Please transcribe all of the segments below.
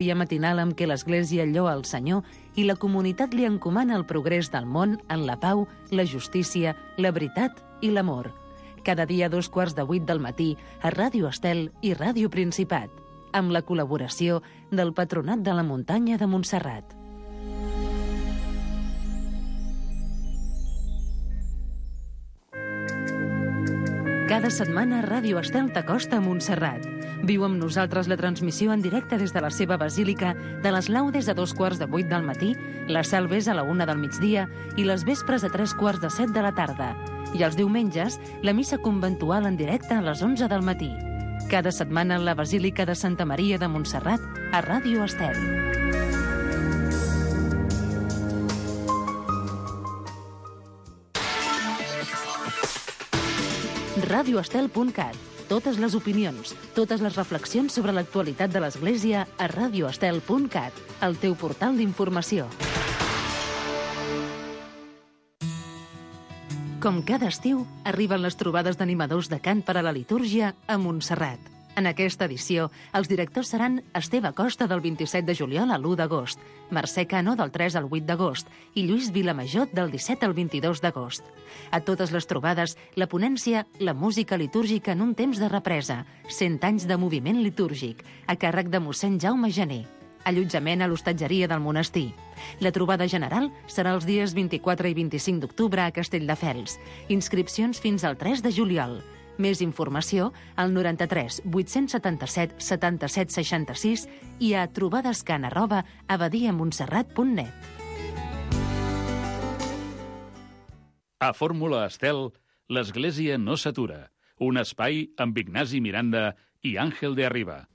Dia matinal amb què l'Església lloa el Senyor i la comunitat li encomana el progrés del món en la pau, la justícia, la veritat i l'amor. Cada dia a 7:45 del matí a Ràdio Estel i Ràdio Principat, amb la col·laboració del Patronat de la Muntanya de Montserrat. Cada setmana Ràdio Estel t'acosta a Montserrat. Viu amb nosaltres la transmissió en directe des de la seva basílica de les laudes a 7:45 del matí, les salves a la 1 del migdia i les vespres a 7:45 de la tarda. I els diumenges, la missa conventual en directe a les 11 del matí. Cada setmana la Basílica de Santa Maria de Montserrat a Ràdio Estel. radioestel.cat. Totes les opinions, totes les reflexions sobre l'actualitat de l'Església a radioestel.cat, el teu portal d'informació. Com cada estiu, arriben les trobades d'animadors de cant per a la litúrgia a Montserrat. En aquesta edició, els directors seran Esteve Costa del 27 de juliol a l'1 d'agost, Mercè Cano del 3 al 8 d'agost i Lluís Vilamajot del 17 al 22 d'agost. A totes les trobades, la ponència La música litúrgica en un temps de represa, 100 anys de moviment litúrgic, a càrrec de mossèn Jaume Gené. Allotjament a l'hostatgeria del monestir. La trobada general serà els dies 24 i 25 d'octubre a Castelldefels. Inscripcions fins al 3 de juliol. Més informació al 93 877 77 66 i a trobadescan@abadiamontserrat.net. A Fórmula Estel, l'Església no s'atura. Un espai amb Ignasi Miranda i Àngel de Arriba.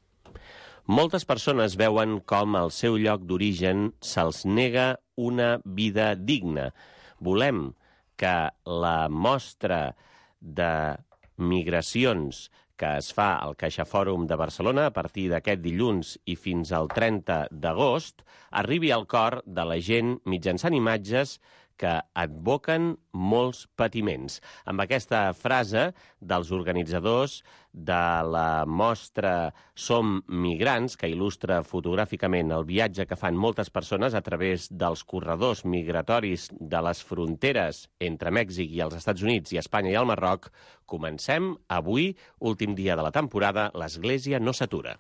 Moltes persones veuen com al seu lloc d'origen se'ls nega una vida digna. Volem que la mostra de migracions que es fa al CaixaFòrum de Barcelona a partir d'aquest dilluns i fins al 30 d'agost arribi al cor de la gent mitjançant imatges que advoquen molts patiments. Amb aquesta frase dels organitzadors de la mostra Som migrants, que il·lustra fotogràficament el viatge que fan moltes persones a través dels corredors migratoris de les fronteres entre Mèxic i els Estats Units i Espanya i el Marroc, comencem avui, últim dia de la temporada, l'Església no s'atura.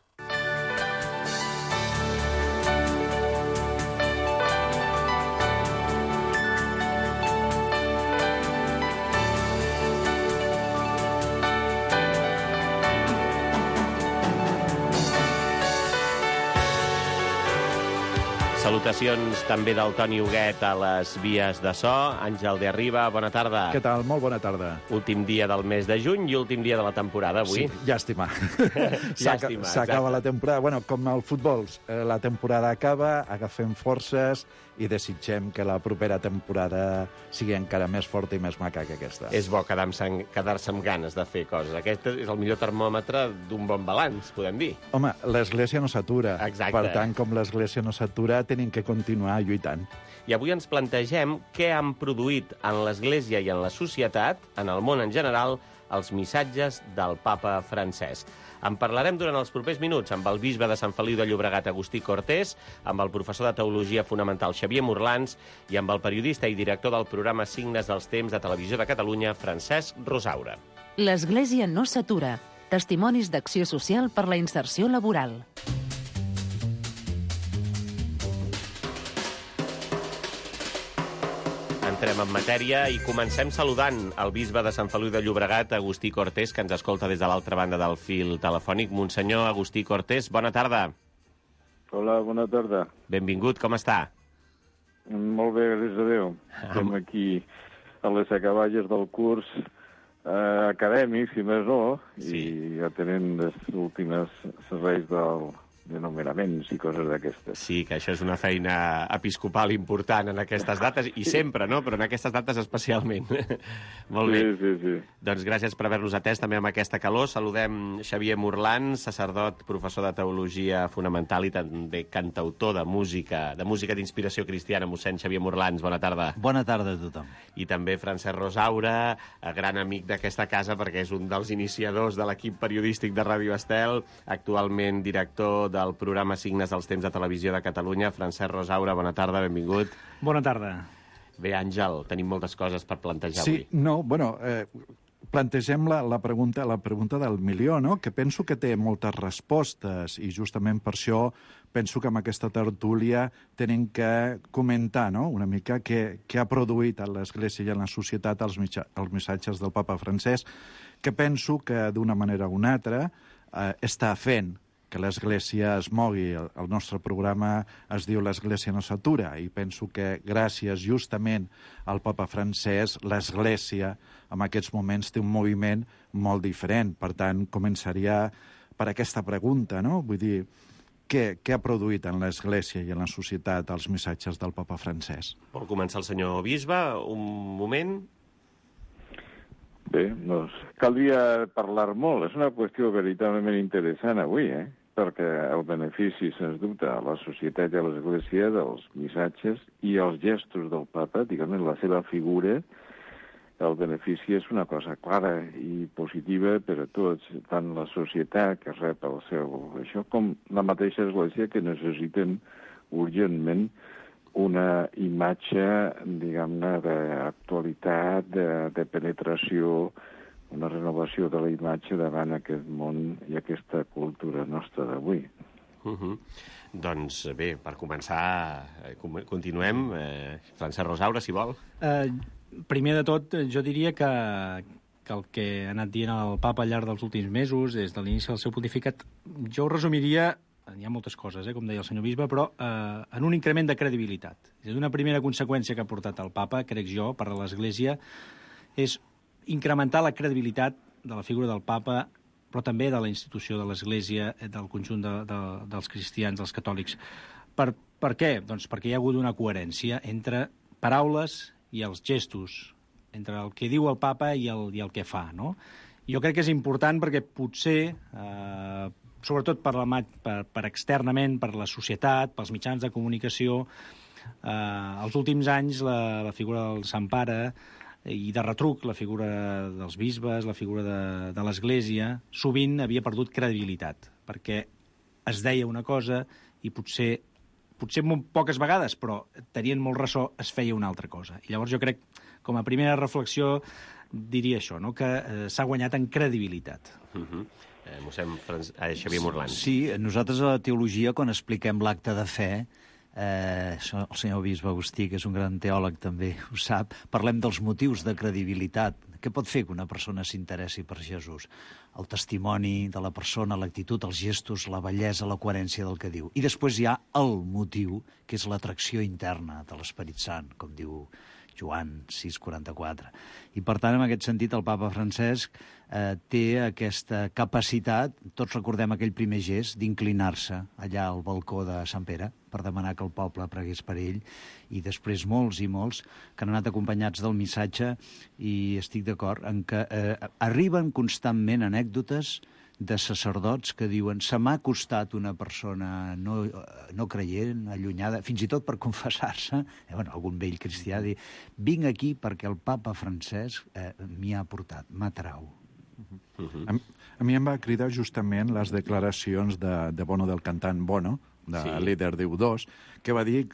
Salutacions també del Toni Huguet a les vies de so. Àngel de Arriba, bona tarda. Què tal? Molt bona tarda. Últim dia del mes de juny i últim dia de la temporada, avui. Sí, llàstima. Llàstima, s'acaba la temporada. Bueno, com el futbol, la temporada acaba, agafem forces i desitgem que la propera temporada sigui encara més forta i més maca que aquesta. És bo quedar-se amb ganes de fer coses. Aquest és el millor termòmetre d'un bon balanç, podem dir. Home, l'Església no s'atura. Exacte. Per tant, com l'Església no s'atura, tenim que continuar lluitant. I avui ens plantegem què han produït en l'Església i en la societat, en el món en general, els missatges del papa Francesc. En parlarem durant els propers minuts amb el bisbe de Sant Feliu de Llobregat, Agustí Cortés, amb el professor de Teologia Fonamental, Xavier Morlans, i amb el periodista i director del programa Signes dels Temps de Televisió de Catalunya, Francesc Rosaura. L'Església no s'atura. Testimonis d'acció social per la inserció laboral. Entrem en matèria i comencem saludant el bisbe de Sant Feliu de Llobregat, Agustí Cortés, que ens escolta des de l'altra banda del fil telefònic. Monsenyor Agustí Cortés, bona tarda. Hola, bona tarda. Benvingut, com està? Molt bé, gràcies a Déu. Estem aquí a les acaballes del curs acadèmic, si més no, sí. I atenent les últimes serveis de nomenaments i coses d'aquestes. Sí, que això és una feina episcopal important en aquestes dates, i sempre, no? Però en aquestes dates especialment. Molt bé. Sí. Doncs gràcies per haver-nos atès també amb aquesta calor. Saludem Xavier Morlans, sacerdot, professor de Teologia Fonamental i també cantautor de música d'inspiració cristiana. Mossèn Xavier Morlans, bona tarda. Bona tarda a tothom. I també Francesc Rosaura, gran amic d'aquesta casa perquè és un dels iniciadors de l'equip periodístic de Ràdio Estel, actualment director del programa Signes dels Temps de Televisió de Catalunya. Francesc Rosaura, bona tarda, benvingut. Bona tarda. Bé, Àngel, tenim moltes coses per plantejar Sí, avui. Plantegem la pregunta del milió, no? Que penso que té moltes respostes i justament per això penso que amb aquesta tertúlia tenim que comentar, no?, una mica què ha produït a l'Església i a la societat els missatges del papa Francesc, que penso que d'una manera o una altra està fent que l'Església es mogui. El nostre programa es diu l'Església no s'atura i penso que gràcies justament al papa Francesc l'Església en aquests moments té un moviment molt diferent. Per tant, començaria per aquesta pregunta, no? Vull dir, què ha produït en l'Església i en la societat els missatges del papa Francesc? Vol començar el senyor bisbe? Un moment. Bé, doncs caldria parlar molt. És una qüestió veritablement interessant avui, perquè el benefici, sens dubte, a la societat i a l'Església dels missatges i els gestos del papa, diguem, la seva figura, el benefici és una cosa clara i positiva per a tots, tant la societat que rep el seu això, com la mateixa Església que necessiten urgentment una imatge, diguem-ne, d'actualitat, de penetració, una renovació de la imatge davant aquest món i aquesta cultura nostra d'avui. Doncs bé, per començar, continuem. Francesc Rosaura, si vol. Primer de tot, jo diria que el que ha anat dient el papa al llarg dels últims mesos, des de l'inici del seu pontificat, jo ho resumiria, hi ha moltes coses, com deia el senyor bisbe, però en un increment de credibilitat. És una primera conseqüència que ha portat el papa, crec jo, per a l'Església, és incrementar la credibilitat de la figura del papa, però també de la institució de l'Església, del conjunt dels cristians, dels catòlics. Per què? Doncs perquè hi ha hagut una coherència entre paraules i els gestos, entre el que diu el papa i el que fa, no? Jo crec que és important perquè potser, sobretot per externament, per la societat, pels mitjans de comunicació, els últims anys la figura del Sant Pare i de retruc la figura dels bisbes, la figura de l'Església, sovint havia perdut credibilitat, perquè es deia una cosa i potser molt poques vegades, però tenien molt ressò, es feia una altra cosa. I llavors jo crec, com a primera reflexió, diria això, no?, que s'ha guanyat en credibilitat. Mossèn Xavier Morlan. Sí, nosaltres a la teologia, quan expliquem l'acte de fe, el senyor bisbe Agustí, que és un gran teòleg també, ho sap, parlem dels motius de credibilitat. Què pot fer que una persona s'interessi per Jesús? El testimoni de la persona, l'actitud, els gestos, la bellesa, la coherència del que diu. I després hi ha el motiu, que és l'atracció interna de l'Esperit Sant, com diu Joan 6,44. I, per tant, en aquest sentit, el papa Francesc té aquesta capacitat, tots recordem aquell primer gest, d'inclinar-se allà al balcó de Sant Pere per demanar que el poble pregués per ell, i després molts i molts que han anat acompanyats del missatge, i estic d'acord en que arriben constantment anècdotes de sacerdots que diuen se m'ha acostat una persona no creient, allunyada, fins i tot per confessar-se, algun vell cristià, dir, vinc aquí perquè el papa Francesc m'hi ha portat, m'atrau. A mi em va cridar justament les declaracions de Bono, del cantant Bono, líder d'U2, que va dir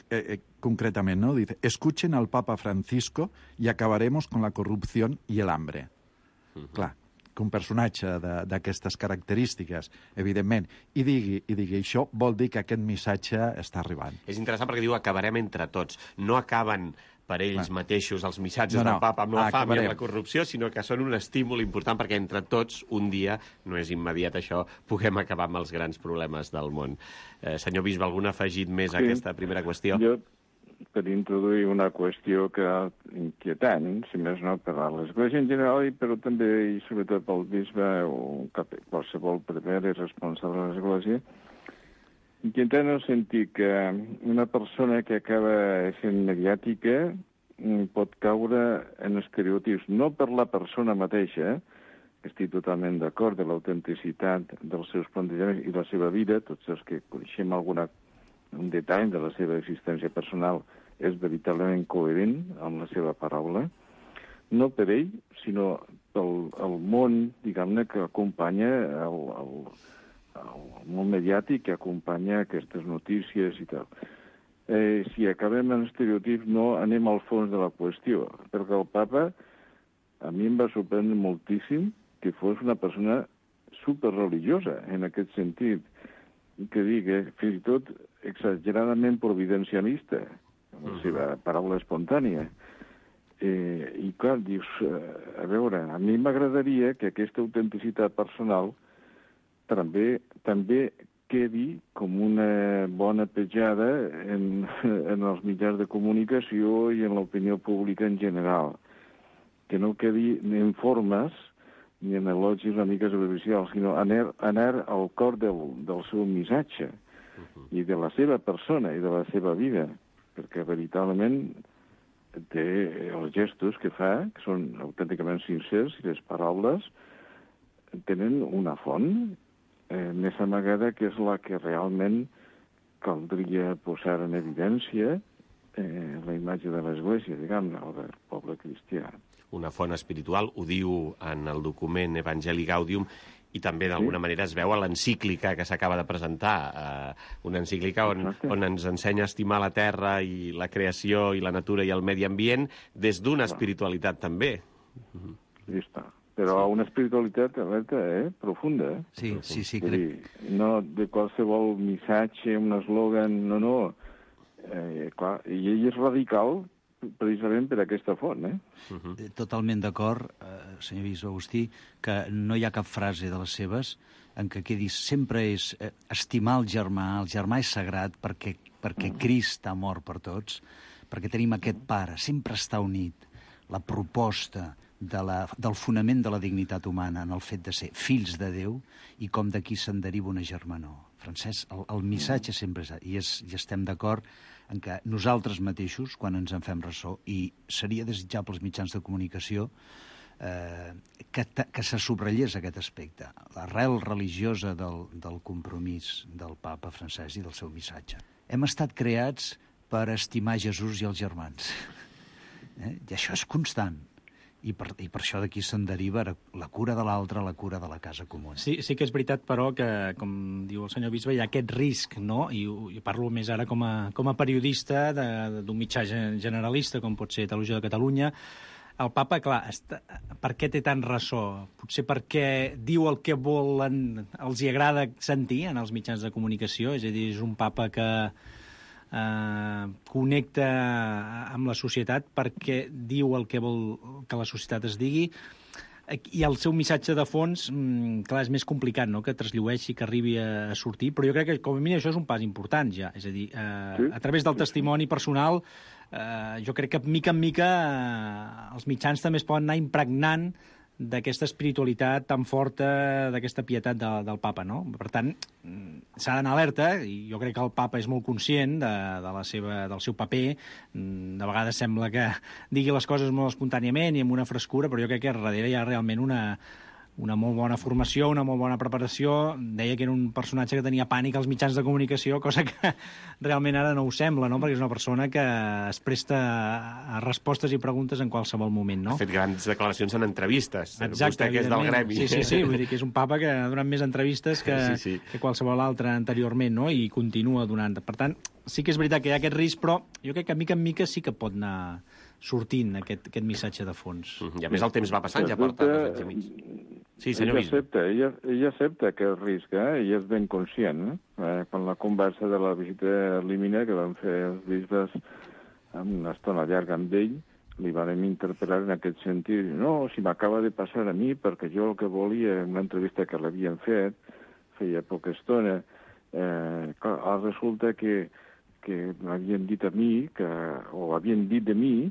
concretament, no? Dice, escuchen al Papa Francisco y acabaremos con la corrupción y el hambre. Clar, que un personatge d'aquestes característiques, evidentment, i digui això, vol dir que aquest missatge està arribant. És interessant perquè diu acabarem entre tots. No acaben per ells mateixos els missatges del papa amb la fam i amb la corrupció, sinó que són un estímul important perquè entre tots, un dia, no és immediat això, puguem acabar amb els grans problemes del món. Senyor bisbe, algun afegit més a aquesta primera qüestió? Jo, per introduir una qüestió que inquietant, si més no, per a l'Església en general, però també i sobretot pel bisbe o qualsevol prever i responsable de l'Església, inquietant en el sentit que una persona que acaba sent mediàtica pot caure en estereotips, no per la persona mateixa, que estic totalment d'acord de l'autenticitat dels seus plantejaments i la seva vida, tots els que coneixem un detall de la seva existència personal és veritablement coherent amb la seva paraula, no per ell, sinó pel món, diguem-ne, que acompanya món mediàtic que acompanya aquestes notícies i tal. Si acabem en estereotips, no anem al fons de la qüestió, perquè el papa a mi em va sorprendre moltíssim que fos una persona superreligiosa, en aquest sentit, que digui, fins i tot exageradament providencialista, la seva paraula espontània. I clar, dius, a veure, a mi m'agradaria que aquesta autenticitat personal també quedi com una bona petjada en els mitjans de comunicació i en l'opinió pública en general, que no quedi ni en formes ni en elogis una mica superficials, sinó anar al cor del seu missatge i de la seva persona i de la seva vida, perquè veritablement té els gestos que fa, que són autènticament sincers, i les paraules tenen una font més amagada, que és la que realment caldria posar en evidència la imatge de l'Església, diguem-ne, o del poble cristià. Una font espiritual, ho diu en el document Evangelii Gaudium, i també d'alguna manera es veu a l'encíclica que s'acaba de presentar, una encíclica on ens ensenya a estimar la terra i la creació i la natura i el medi ambient des d'una espiritualitat també. Ja està. Però una espiritualitat, alerta, profunda. Sí. No de qualsevol missatge, un eslògan, no. Clar, i ell és radical precisament per aquesta font, Totalment d'acord, senyor bisbe Agustí, que no hi ha cap frase de les seves en què quedi sempre és estimar el germà és sagrat perquè Crist ha mort per tots, perquè tenim aquest pare, sempre està unit. La proposta del fonament de la dignitat humana en el fet de ser fills de Déu i com d'aquí se'n deriva una germanor. Francesc, el missatge sempre és, i estem d'acord en que nosaltres mateixos, quan ens en fem ressò, i seria desitjable als mitjans de comunicació que se subratllés aquest aspecte, l'arrel religiosa del compromís del papa Francesc i del seu missatge. Hem estat creats per estimar Jesús i els germans. I això és constant. I per això d'aquí se'n deriva la cura de l'altre, la cura de la casa comuna. Sí que és veritat, però, que, com diu el senyor bisbe, hi ha aquest risc, no? I parlo més ara com a periodista d'un mitjà generalista, com pot ser Televisió de Catalunya. El papa, clar, per què té tant ressò? Potser perquè diu el que volen, els hi agrada sentir en els mitjans de comunicació, és a dir, és un papa que connecta amb la societat perquè diu el que vol que la societat es digui, i el seu missatge de fons, clar, és més complicat, no?, que trasllueixi, que arribi a sortir, però jo crec que, com a mínim, això és un pas important, ja. És a dir, a través del testimoni personal, jo crec que, mica en mica, els mitjans també es poden anar impregnant d'aquesta espiritualitat tan forta, d'aquesta pietat del papa, no? Per tant, s'ha d'anar alerta, i jo crec que el papa és molt conscient del seu paper. De vegades sembla que digui les coses molt espontàniament i amb una frescura, però jo crec que darrere hi ha realment una molt bona formació, una molt bona preparació. Deia que era un personatge que tenia pànic als mitjans de comunicació, cosa que realment ara no ho sembla, no?, perquè és una persona que es presta a respostes i preguntes en qualsevol moment, no? Ha fet grans declaracions en entrevistes. Exacte, vostè que és del gremi. Sí, vull dir que és un papa que ha donat més entrevistes que qualsevol altre anteriorment, no?, i continua donant. Per tant, sí que és veritat que hi ha aquest risc, però jo crec que mica en mica sí que pot anar sortint aquest missatge de fons. I a més el temps va passant, ja porta 2 anys i mig. Sí, senyor bisbe. Ell accepta aquest risc, i és ben conscient. Quan la conversa de la visita a Límina que van fer els bisbes amb una estona llarga amb ell, li vam interpel·lar en aquest sentit. No, si m'acaba de passar a mi, perquè jo el que volia, en una entrevista que l'havien fet, feia poca estona, resulta que m'havien dit a mi, o havien dit de mi,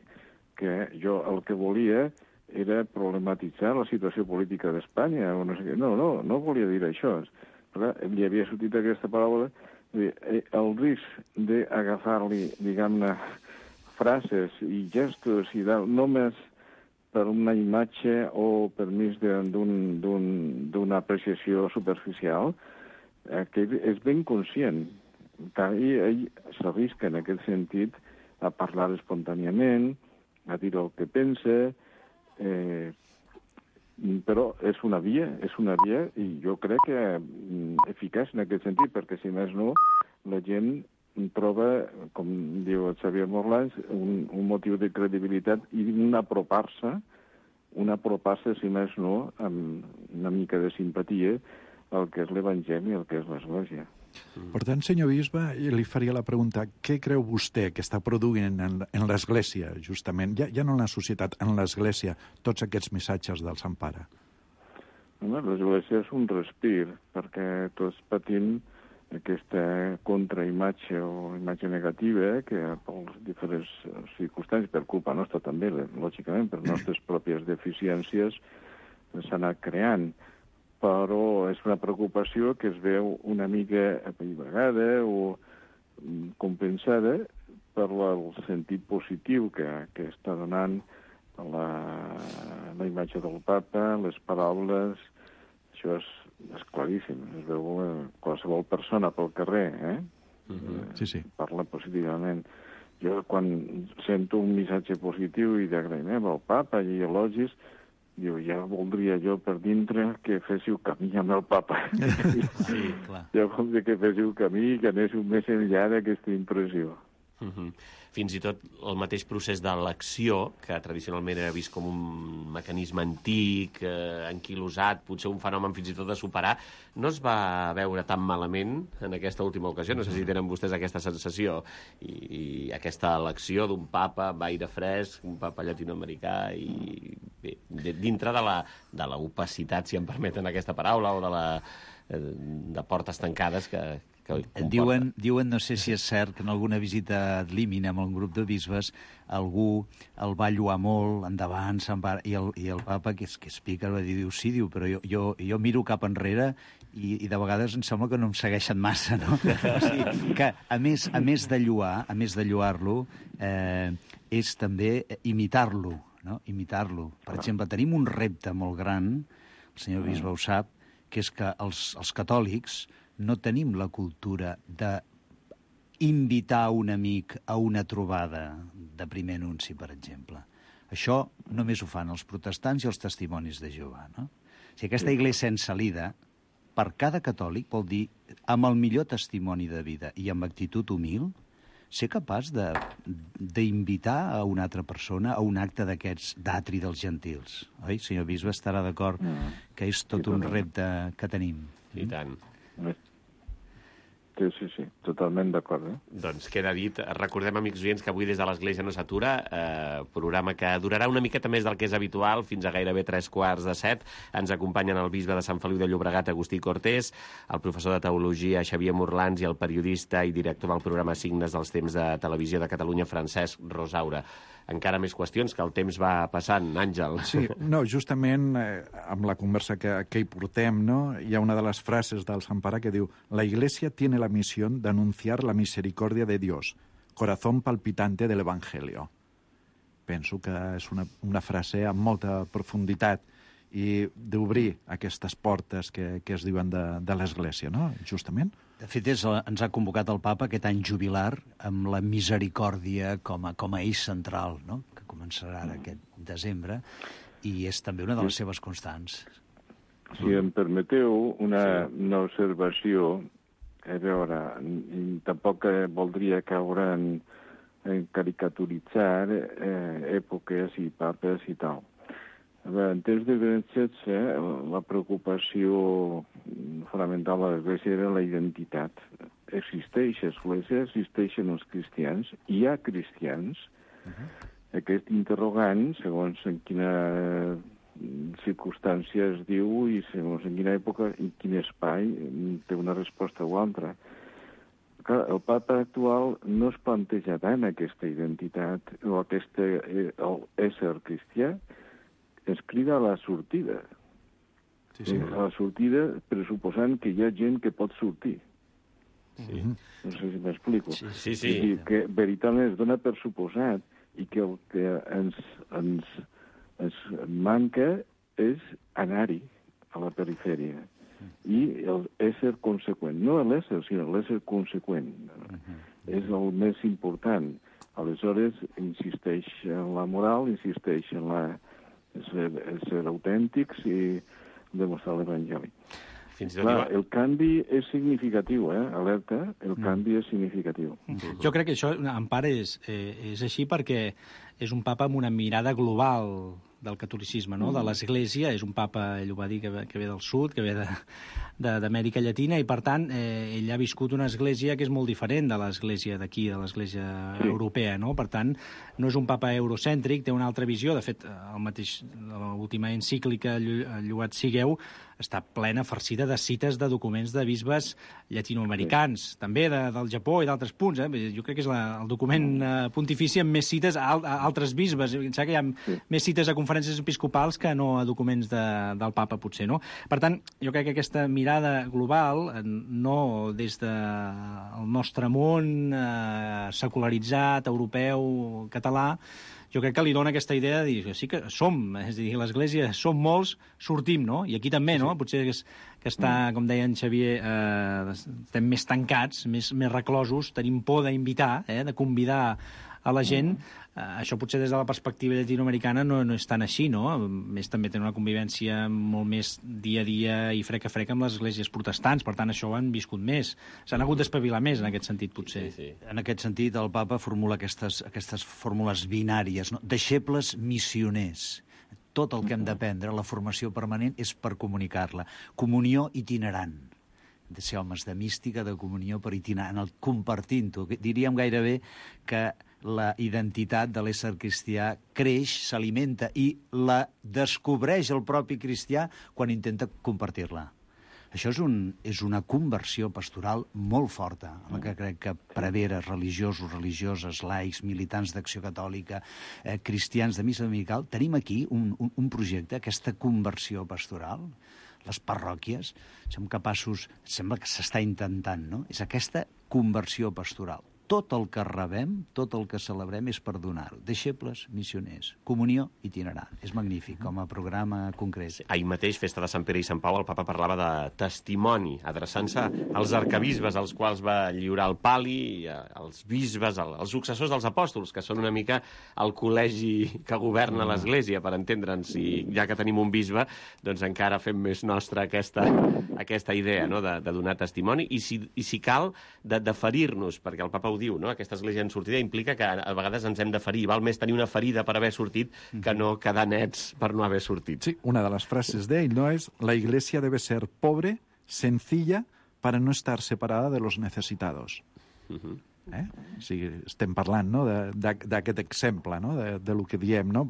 que jo el que volia era problematitzar la situació política d'Espanya, o no sé què. No volia dir això. Però li havia sortit aquesta paraula. El risc d'agafar-li, diguem-ne, frases i gestos i només per una imatge o per mig d'una apreciació superficial, que és ben conscient. Ell s'arrisca en aquest sentit a parlar espontàniament, a dir el que pensa. però és una via i jo crec que eficaç en aquest sentit, perquè si més no, la gent troba, com diu el Xavier Morlans, un motiu de credibilitat i un apropar-se, si més no, amb una mica de simpatia al que és l'Evangeli i al que és l'Església. Per tant, senyor bisbe, li faria la pregunta, què creu vostè que està produint en l'Església, justament, ja no en la societat, en l'Església, tots aquests missatges del Sant Pare? L'Església és un respir, perquè tots patim aquesta contraimatge o imatge negativa que per les diferents circumstàncies, per culpa nostra també, lògicament, per nostres pròpies deficiències, s'ha anat creant. Però és una preocupació que es veu una mica apallivegada o compensada per el sentit positiu que està donant la imatge del papa, les paraules. Això és claríssim, es veu qualsevol persona pel carrer, Sí. Parla positivament. Jo, quan sento un missatge positiu i d'agraïment al papa i elogis, diu, ja voldria jo per dintre que féssiu camí amb el papa. Sí, clar. Ja voldria que féssiu camí i que anéssiu més enllà d'aquesta impressió. Fins i tot el mateix procés d'elecció, que tradicionalment era vist com un mecanisme antic, anquilosat, potser un fenomen fins i tot de superar, no es va veure tan malament en aquesta última ocasió. No sé si tenen vostès aquesta sensació i aquesta elecció d'un papa d'aire fresc, un papa llatinoamericà, i bé, dintre de la opacitat, si em permeten aquesta paraula, o de portes tancades que Diuen, no sé si és cert, que en alguna visita ad limina amb un grup de bisbes algú el va lloar molt, endavant, se'n va, i el papa, que és pica, va dir, sí, però jo miro cap enrere i de vegades em sembla que no em segueixen massa, no? O sigui, que a més de lloar-lo, és també imitar-lo, no? Imitar-lo. Per exemple, tenim un repte molt gran, el senyor bisbe ho sap, que és que els catòlics no tenim la cultura d'invitar un amic a una trobada de primer anunci, per exemple. Això només ho fan els protestants i els testimonis de Jehovà, no? O sigui, aquesta iglesia en salida, per cada catòlic, vol dir, amb el millor testimoni de vida i amb actitud humil, ser capaç d'invitar a una altra persona a un acte d'aquests d'atri dels gentils. Oi? Senyor bisbe estarà d'acord que és tot un repte que tenim. I tant. Sí, totalment d'acord. Doncs queda dit. Recordem, amics oients, que avui des de l'Església no s'atura, programa que durarà una miqueta més del que és habitual, fins a gairebé 6:45. Ens acompanyen el bisbe de Sant Feliu de Llobregat, Agustí Cortés, el professor de Teologia, Xavier Morlans, i el periodista i director del programa Signes dels Temps de Televisió de Catalunya, Francesc Rosaura. Encara més qüestions, que el temps va passant, Àngel. Sí, no, justament amb la conversa que hi portem, no, hi ha una de les frases del Sant Pare que diu: la Iglesia tiene la misión de anunciar la misericordia de Dios, corazón palpitante del Evangelio. Penso que és una frase amb molta profunditat i d'obrir aquestes portes que es diuen de l'Església, no?, justament. De fet, ens ha convocat el papa aquest any jubilar amb la misericòrdia com a eix central, no?, que començarà ara aquest desembre, i és també una de les seves constants. Si em permeteu una observació, a veure, tampoc voldria caure en caricaturitzar èpoques i papes i tal. En temps de Benet XVI, la preocupació fonamental de l'Església era la identitat. Existeix l'Església, existeixen els cristians, hi ha cristians. Aquest interrogant, segons en quina circumstància es diu i segons en quina època i quin espai, té una resposta o altra. Clar, el papa actual no es planteja tant aquesta identitat o aquest ésser cristià, es crida a la sortida. Sí. A la sortida pressuposant que hi ha gent que pot sortir. Sí. No sé si m'explico. Sí. I que veritablement es dona per suposat i que el que ens manca és anar-hi a la perifèria. I l'ésser conseqüent. No l'ésser, sinó l'ésser conseqüent. És el més important. Aleshores, insisteix en la moral, insisteix en ser autèntics i demostrar l'Evangeli. Clar, el canvi és significatiu, alerta, el canvi és significatiu. Jo crec que això, en part, és així perquè és un papa amb una mirada global del catolicisme, no? De l'Església. És un papa, ell ho va dir, que ve del sud, que ve d'Amèrica Llatina, i, per tant, ell ha viscut una església que és molt diferent de l'església d'aquí, de l'església europea, no? Per tant, no és un papa eurocèntric, té una altra visió. De fet, l'última encíclica, Lloat sigueu, està plena, farcida de cites de documents de bisbes llatinoamericans, també del Japó i d'altres punts. Jo crec que és el document pontifici amb més cites a altres bisbes. Em sembla que hi ha més cites a conferències episcopals que no a documents del papa, potser, no? Per tant, jo crec que aquesta mirada global, no des del nostre món secularitzat, europeu, català, jo crec que li dona aquesta idea de dir que sí que som, és a dir, l'Església som molts, sortim, no? I aquí també, no? Potser que està, com deia en Xavier, estem més tancats, més reclosos, tenim por d'invitar, de convidar a la gent. Això potser des de la perspectiva llatinoamericana no és tan així, no? A més, també tenen una convivència molt més dia a dia i frec a frec amb les esglésies protestants, per tant, això ho han viscut més. S'han hagut d'espavilar més en aquest sentit, potser. Sí. En aquest sentit, el papa formula aquestes fórmules binàries, no? Deixebles missioners. Tot el que hem d'aprendre, la formació permanent, és per comunicar-la. Comunió itinerant. De ser homes de mística, de comunió per itinerant, compartint-ho. Diríem gairebé que la identitat de l'ésser cristià creix, s'alimenta i la descobreix el propi cristià quan intenta compartir-la. Això és una conversió pastoral molt forta, en la que crec que preveres religiosos, religioses, laics, militants d'Acció Catòlica, cristians de missa dominical, tenim aquí un projecte, aquesta conversió pastoral. Les parròquies som capaços, sembla que s'està intentant, no? És aquesta conversió pastoral. Tot el que rebem, tot el que celebrem és per donar-ho. Deixebles, missioners, comunió itinerant. És magnífic, com a programa concret. Ahir mateix, festa de Sant Pere i Sant Pau, el papa parlava de testimoni, adreçant-se als arcabisbes, als quals va lliurar el pali, als bisbes, als successors dels apòstols, que són una mica el col·legi que governa l'Església, per entendre'ns. I ja que tenim un bisbe, doncs encara fem més nostra aquesta idea, no?, de donar testimoni. I si cal, de ferir-nos, perquè el papa ho diu, no? Aquesta església en sortida implica que a vegades ens hem de ferir. Val més tenir una ferida per haver sortit que no quedar nets per no haver sortit. Sí, una de les frases d'ell, no, és la iglesia debe ser pobre, sencilla, para no estar separada de los necesitados. O sigui, estem parlant, no?, d'aquest exemple, no?, de lo que diem, no?,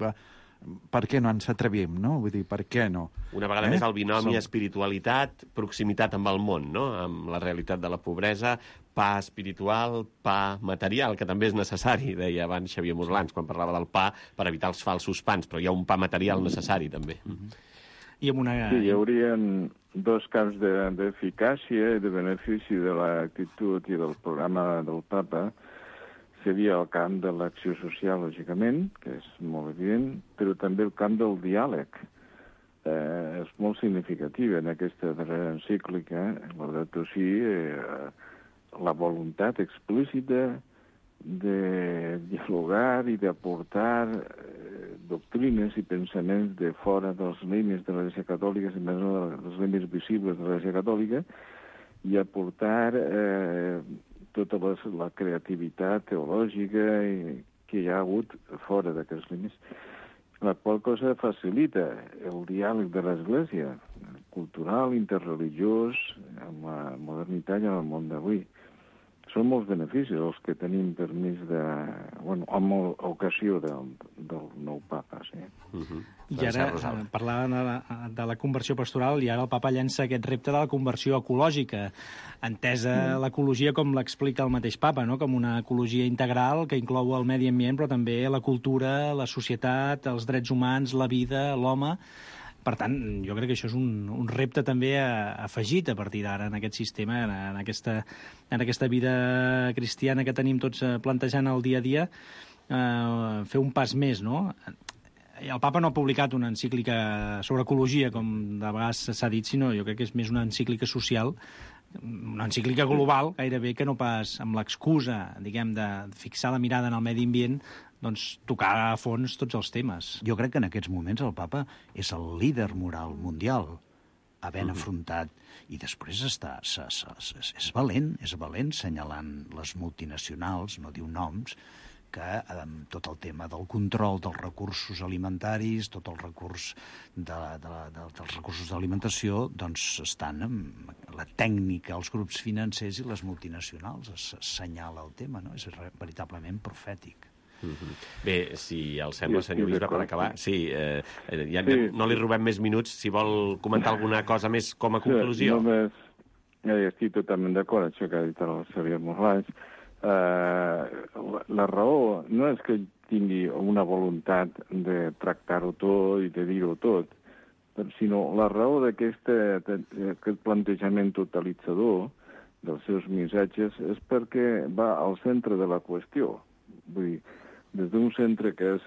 per què no ens atrevim, no? Vull dir, per què no? Una vegada més el binomi espiritualitat, proximitat amb el món, no? Amb la realitat de la pobresa, pa espiritual, pa material, que també és necessari, deia abans Xavier Moslans, quan parlava del pa, per evitar els falsos pans, però hi ha un pa material necessari, també. I amb una... Sí, hi haurien dos camps d'eficàcia i de benefici de l'actitud i del programa del papa. Seria el camp de l'acció social, lògicament, que és molt evident, però també el camp del diàleg. És molt significatiu en aquesta darrera encíclica, Laudato Si, la voluntat explícita de dialogar i d'aportar doctrines i pensaments de fora dels límits de l'Església Catòlica, i més no dels límits visibles de l'Església Catòlica, i aportar tota la creativitat teològica que hi ha hagut fora d'aquests límits, la qual cosa facilita el diàleg de l'Església, cultural, interreligiós, amb la modernitat i amb el món d'avui. Són molts beneficis els que tenim permís amb ocasió del nou papa, sí. I ara, parlant de la conversió pastoral, i ara el papa llença aquest repte de la conversió ecològica, entesa l'ecologia com l'explica el mateix papa, no?, com una ecologia integral que inclou el medi ambient, però també la cultura, la societat, els drets humans, la vida, l'home. Per tant, jo crec que això és un repte també afegit a partir d'ara en aquest sistema, en aquesta vida cristiana que tenim tots plantejant el dia a dia, fer un pas més, no? El papa no ha publicat una encíclica sobre ecologia, com de vegades s'ha dit, sinó jo crec que és més una encíclica social una encíclica global, gairebé que no pas amb l'excusa, diguem, de fixar la mirada en el medi ambient, doncs tocar a fons tots els temes. Jo crec que en aquests moments el papa és el líder moral mundial, havent afrontat, i després és valent senyalant les multinacionals, no diu noms, que tot el tema del control dels recursos alimentaris, tot el recurs dels recursos d'alimentació, doncs estan amb la tècnica, els grups financers i les multinacionals. Assenyala el tema, no? És veritablement profètic. Bé, si el sembla, senyor bisbe, per acabar, no li robem més minuts, si vol comentar alguna cosa més com a conclusió. Només, estic totalment d'acord amb això que ha dit el Xavier Morlans. La raó no és que tingui una voluntat de tractar-ho tot i de dir-ho tot, sinó la raó d'aquest plantejament totalitzador dels seus missatges és perquè va al centre de la qüestió. Vull dir, des d'un centre que és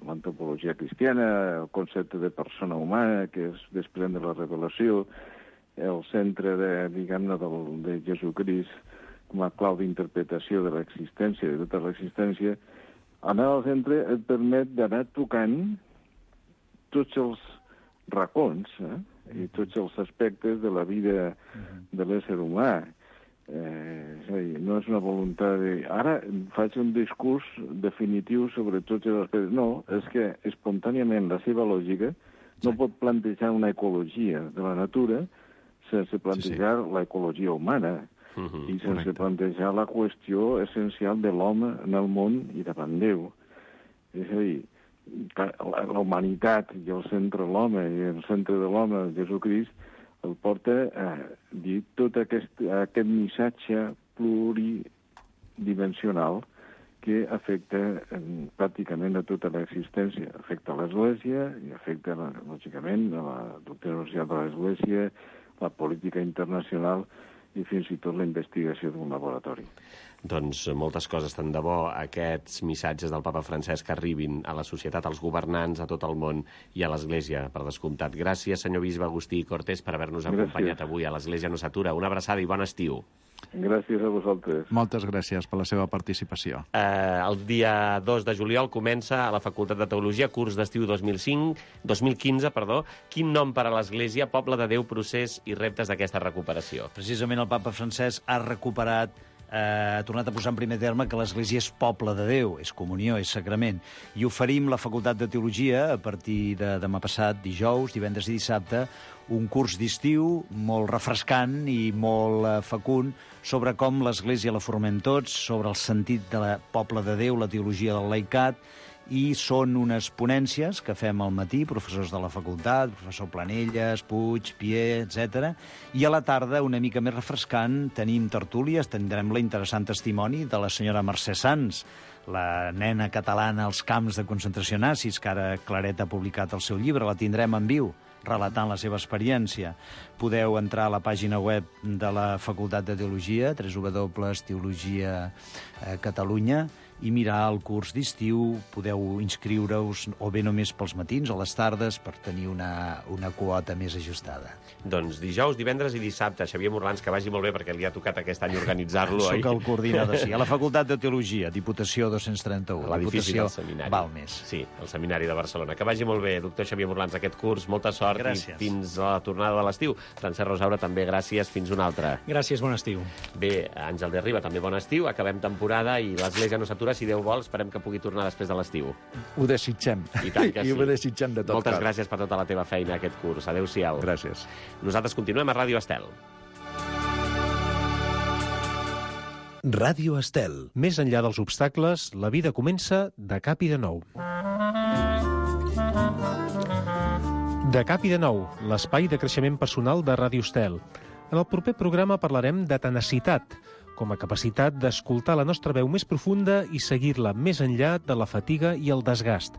l'antropologia cristiana, el concepte de persona humana, que es desprèn de la revelació, el centre de Jesucrist com a clau d'interpretació de l'existència, de tota l'existència, anar al centre et permet d'anar tocant tots els racons i tots els aspectes de la vida de l'ésser humà. És a dir, no és una voluntat de... Ara faig un discurs definitiu sobre tots els aspectes. No, és que espontàniament la seva lògica no pot plantejar una ecologia de la natura sense plantejar l'ecologia humana i sense plantejar la qüestió essencial de l'home en el món i davant Déu. És a dir, la humanitat i el centre de l'home i el centre de l'home, Jesucrist, el porta a dir tot aquest missatge pluridimensional que afecta pràcticament a tota l'existència. Afecta l'Església i afecta, lògicament, la doctrina social de l'Església, la política internacional i fins i tot la investigació d'un laboratori. Doncs moltes coses. Tant de bo aquests missatges del papa Francesc arribin a la societat, als governants, a tot el món i a l'Església, per descomptat. Gràcies, senyor bisbe Agustí Cortés, per haver-nos acompanyat avui a l'Església no s'atura. Una abraçada i bon estiu. Gràcies a vosaltres. Moltes gràcies per la seva participació. El dia 2 de juliol comença a la Facultat de Teologia, curs d'estiu 2015. Quin nom per a l'Església, Poble de Déu, procés i reptes d'aquesta recuperació? Precisament el papa Francesc ha recuperat, ha tornat a posar en primer terme que l'Església és poble de Déu, és comunió, és sacrament. I oferim la Facultat de Teologia a partir de demà passat, dijous, divendres i dissabte, un curs d'estiu molt refrescant i molt fecund sobre com l'Església la formem tots, sobre el sentit de la poble de Déu, la teologia del laicat, i són unes ponències que fem al matí, professors de la facultat, professor Planelles, Puig, Pier, etc. I a la tarda, una mica més refrescant, tenim tertúlies, tindrem l'interessant testimoni de la senyora Mercè Sans, la nena catalana als camps de concentració nazis, que ara Claret ha publicat el seu llibre, la tindrem en viu, relatant la seva experiència. Podeu entrar a la pàgina web de la Facultat de Teologia, www.teologia.catalunya, i mirar el curs d'estiu. Podeu inscriure-us o bé només pels matins o les tardes per tenir una quota més ajustada. Doncs dijous, divendres i dissabte. Xavier Morlans, que vagi molt bé perquè li ha tocat aquest any organitzar-lo. Soc el coordinador, sí. A la Facultat de Teologia, Diputació 231. L'edifici del seminari. Balmes. Sí, el seminari de Barcelona. Que vagi molt bé, doctor Xavier Morlans, aquest curs. Molta sort. Gràcies. I fins a la tornada de l'estiu. Francesc Rosaura, també gràcies. Fins una altra. Gràcies, bon estiu. Bé, Àngel de Riba, també bon estiu. Acabem temporada i l'Església no s'atura. Si Déu vol, esperem que pugui tornar després de l'estiu. Ho desitgem. I tant que sí. I ho desitgem de tot Moltes cor. gràcies per tota la teva feina aquest curs. Adéu-siau. Gràcies. Nosaltres continuem a Ràdio Estel. Ràdio Estel. Més enllà dels obstacles, la vida comença de cap i de nou. De cap i de nou, l'espai de creixement personal de Ràdio Estel. En el proper programa parlarem de tenacitat, com a capacitat d'escoltar la nostra veu més profunda i seguir-la més enllà de la fatiga i el desgast.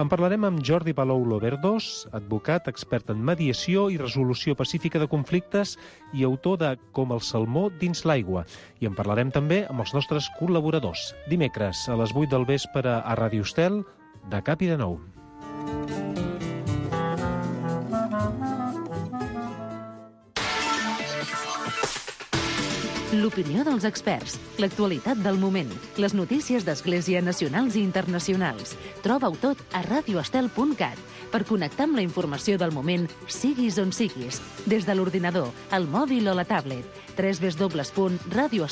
En parlarem amb Jordi Palou Loberdós, advocat, expert en mediació i resolució pacífica de conflictes i autor de Com el salmó dins l'aigua. I en parlarem també amb els nostres col·laboradors. Dimecres, a les 8 del vespre a Ràdio Estel, de cap i de nou. l'opinió dels experts, l'actualitat del moment, les notícies d'Església nacionals i internacionals. Troba-ho tot a radioestel.cat per connectar amb la informació del moment, siguis on siguis, des de l'ordinador, el mòbil o la tablet. www.radioestel.cat